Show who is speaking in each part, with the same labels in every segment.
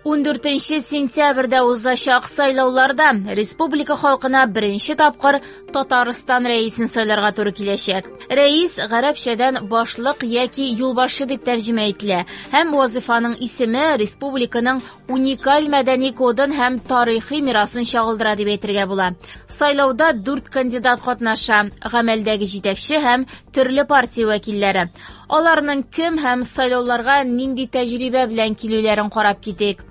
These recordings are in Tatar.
Speaker 1: 14 сентябрьдә узачак сайлауларда республика халкына беренче тапкыр Татарстан рәисен сайларга туры киләчәк. Рәис гарәпчәдән башлык яки юлбашчы дип тәрҗемә ителә һәм вазифаның исеме республиканың уникаль мәдәни кодын һәм тарихи мирасын чагылдыра дип әйтергә була. Сайлауда дүрт кандидат катнаша: гамәлдәге җитәкче һәм төрле партия вәкилләре. Аларның кем һәм сайлауларга нинди тәҗрибә белән килүләрен карап китик.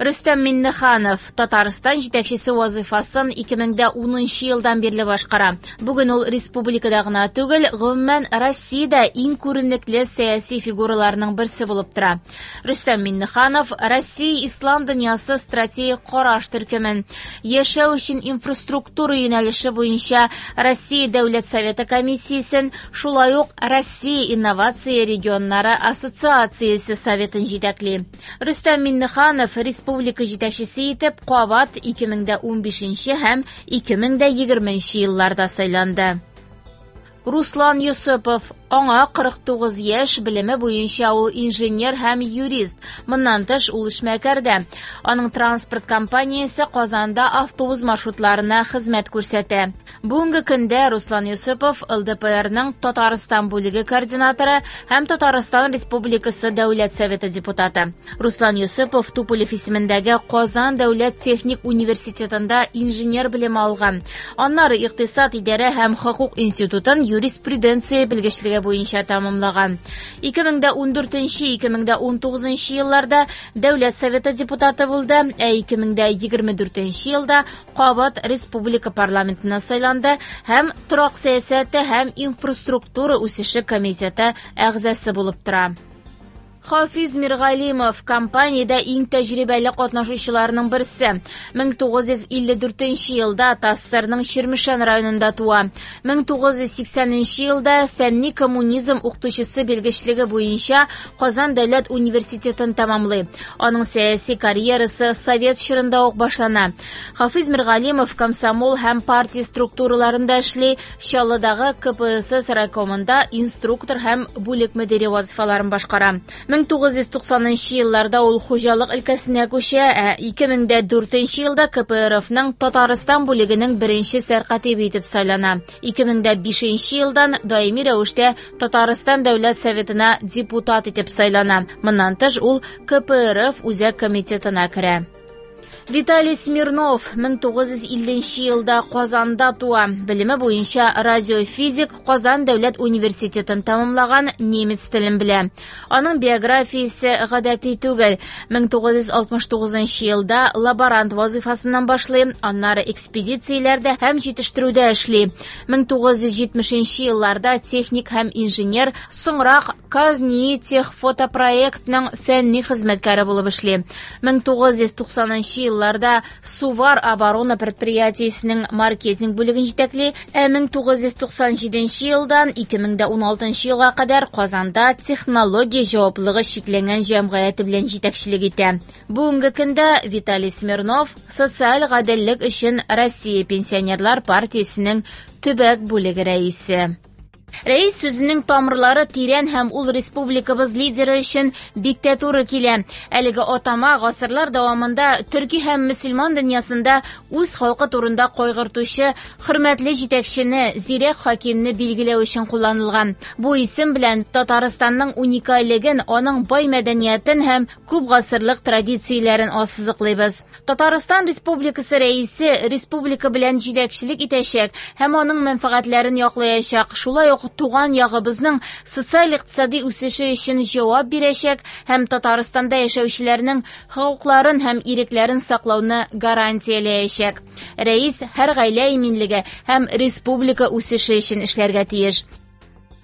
Speaker 1: Рөстәм Миннеханов Татарстан җитәкчесе вазыйфасын 2010 елдан бирле башкара. Бүген ул республикада гына түгел, гомумән Россиядә иң күренекле сәяси фигураларның берсе булып тора. Рөстәм Миннеханов Россия ислам дөньясы стратегик караш төркемен, яшәү өчен инфраструктура юнәлеше буенча Россия Дәүләт Советы комиссиясен, шулай ук Россия инновация регионнары ассоциациясе советын җитәкли. Рөстәм Миннеханов республика җитәкчесе итеп кабат 2015 һәм 2020 елларда сайланды. Руслан Йосыпов, аңа 49 яшь, белеме буенча ул инженер һәм юрист. Моннан тыш ул эшмәкәр дә. Аның транспорт компаниясе Казанда автобус маршрутларына хезмәт күрсәтә. Бүгенге көндә Руслан Йосыпов ЛДПРның Татарстан бүлеге координаторы һәм Татарстан Республикасы Дәүләт Советы депутаты. Руслан Йосыпов Туполев исемендәге Казан дәүләт техник университетында инженер белеме алган. Аннары икътисад, идарә һәм хокук институтын юриспруденция белгечлеге буенча тәмамлаган. 2014-2019 елларда Дәүләт Советы депутаты булды, ә 2024 елда кабат республика парламентына сайланды һәм торак сәясәте һәм инфраструктура үсеше комитеты әгъзасы булып тора. Хафиз Миргалимов компаниядә иң тәҗрибәле катнашучыларның берсе. 1954 елда ТАССРның Чирмешән районында туа. 1980 елда фәнни коммунизм укытучысы белгечлеге буенча Казан дәүләт университетын тәмамлый. Аның сәяси карьерасы совет чорында ук башлана. Хафиз Миргалимов комсомол һәм партия структураларында эшли, Чаллыдагы КПСС райкомында инструктор һәм бүлек мөдире вазифаларын башкара. 1990 елларда ул хуҗалык өлкәсенә күчә, ә 2004 елда КПРФның Татарстан бүлегенең беренче сәркатибе итеп сайлана. 2005 елдан даими рәвештә Татарстан Дәүләт Советына депутат итеп сайлана. Моннан тыш ул КПРФ Үзәк комитетына керә. Виталий Смирнов 1950 елда Казанда туа. Белеме буенча радиофизик, Казан дәүләт университетын тәмамлаган, немец телен белә. Аның биографиясе гадәти түгел. 1969 елда лаборант вазыйфасыннан башлый, аннары экспедицияләрдә һәм җитештерүдә эшли. 1970 елларда техник һәм инженер, соңрак Казнитехфотопроектның фәнни хезмәткәре булып эшли. 1990 елларда Сувар оборона предприятиесенең маркетинг бүлеген җитәкли, ә 1997 елдан 2016 елга кадәр Казанда технология җаваплылыгы чикләнгән җәмгыяте белән җитәкчелек итә. Бүгенге көндә Виталий Смирнов Социаль гаделлек өчен Россия пенсионерлар партиясенең төбәк бүлеге рәисе. Рәис сүзенең тамырлары тирән һәм ул республикабыз лидеры өчен бик тә туры килә. Әлеге атама гасырлар дәвамында төрки һәм мөселман дөньясында үз халкы турында кайгыртучы хөрмәтле җитәкчене, зирәк хакимне билгеләү өчен кулланылган. Бу исем белән Татарстанның уникальлеген, аның бай мәдәниятен һәм күп гасырлык традицияләрен ассызыклыйбыз. Татарстан Республикасы рәисе республика белән җитәкчелек итәчәк һәм аның мәнфәгатьләрен яклаячак. Шулай ук туган ягыбызның социаль-икътисади үсеше өчен җавап бирәчәк һәм Татарстанда яшәүчеләрнең хокукларын һәм ирекләрен саклауны гарантияләячәк. Рәис һәр гаилә иминлеге һәм республика үсеше өчен эшләргә тиеш.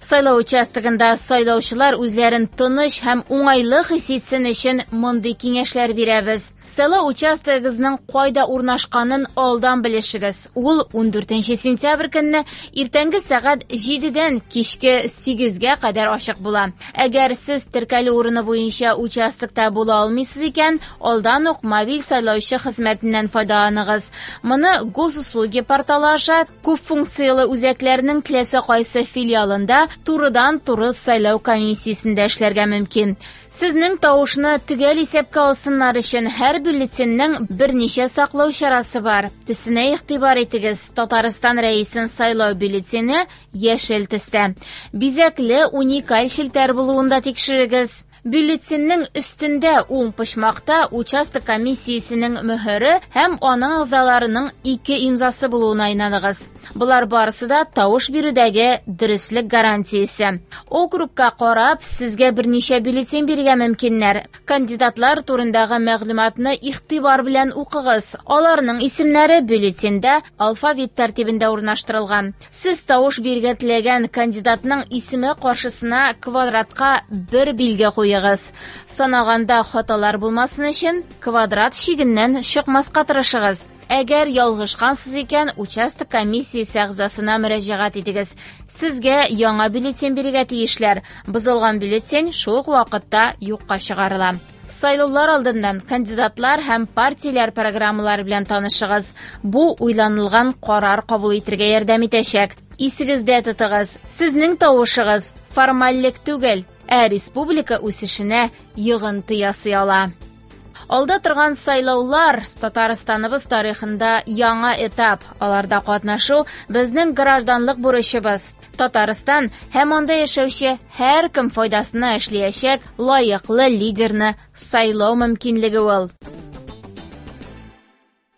Speaker 1: Сайлау участогында сайлаучылар үзләрен тыныч һәм уңайлы хис итсен өчен мондый киңәшләр бирәбез. Сайлау участогыгызның кайда урнашканын алдан белешегез. Ул 14 сентябрь көнне иртәнге сәгать 7-дән кичке 8-гә кадәр ачык була. Әгәр сез теркәлү урыны буенча участокта була алмыйсыз икән, алдан ук мобиль сайлаучы хезмәтеннән файдаланыгыз. Моны Госуслуги порталы аша күп функцияле үзәкләрнең теләсә кайсы филиалында турыдан-туры сайлау комиссиясендә эшләргә мөмкин. Сезнең тавышны төгәл исәпкә алсыннар өчен һәр бюллетеньнең берничә саклау чарасы бар. Төсенә игътибар итегез. Татарстан Рәисен сайлау бюллетене яшел төстә. Бизәкле уникаль челтәр булуын да тикшерегез. Бюллетеньнең өстендә уң почмакта участок комиссиясенең мөһере һәм аның әгъзаларының ике имзасы булуына инаныгыз. Болар барысы да тавыш бирүдәге дөреслек гарантиясе. Округка карап, сезгә берничә бюллетень бирергә мөмкиннәр. Кандидатлар турындагы мәгълүматны игътибар белән укыгыз. Аларның исемнәре бюллетеньдә алфавит тәртибендә урнаштырылган. Сез тавыш бирергә теләгән кандидатның исеме каршысына квадратка бер билге куегыз. Санаганда хаталар булмасын өчен квадрат чигеннән чыкмаска тырышыгыз. Әгәр ялгышкансыз икән, участок комиссиясе әгъзасына мөрәҗәгать итегез. Сезгә яңа бюллетень бирергә тиешләр. Бозылган бюллетень шул ук вакытта юкка чыгарыла. Сайлаулар алдыннан кандидатлар һәм партияләр программалары белән танышыгыз. Бу уйланылган карар кабул итәргә ярдәм итәчәк. Исегездә тотыгыз, сезнең тавышыгыз формальлек түгел, ә республика үсешенә йогынты ясый ала. Алда торган сайлаулар Татарстаныбыз тарихында яңа этап. Аларда катнашу безнең гражданлык бурычыбыз. Татарстан һәм анда яшәүче һәркем файдасына эшләячәк лаеклы лидерны сайлау мөмкинлеге ул.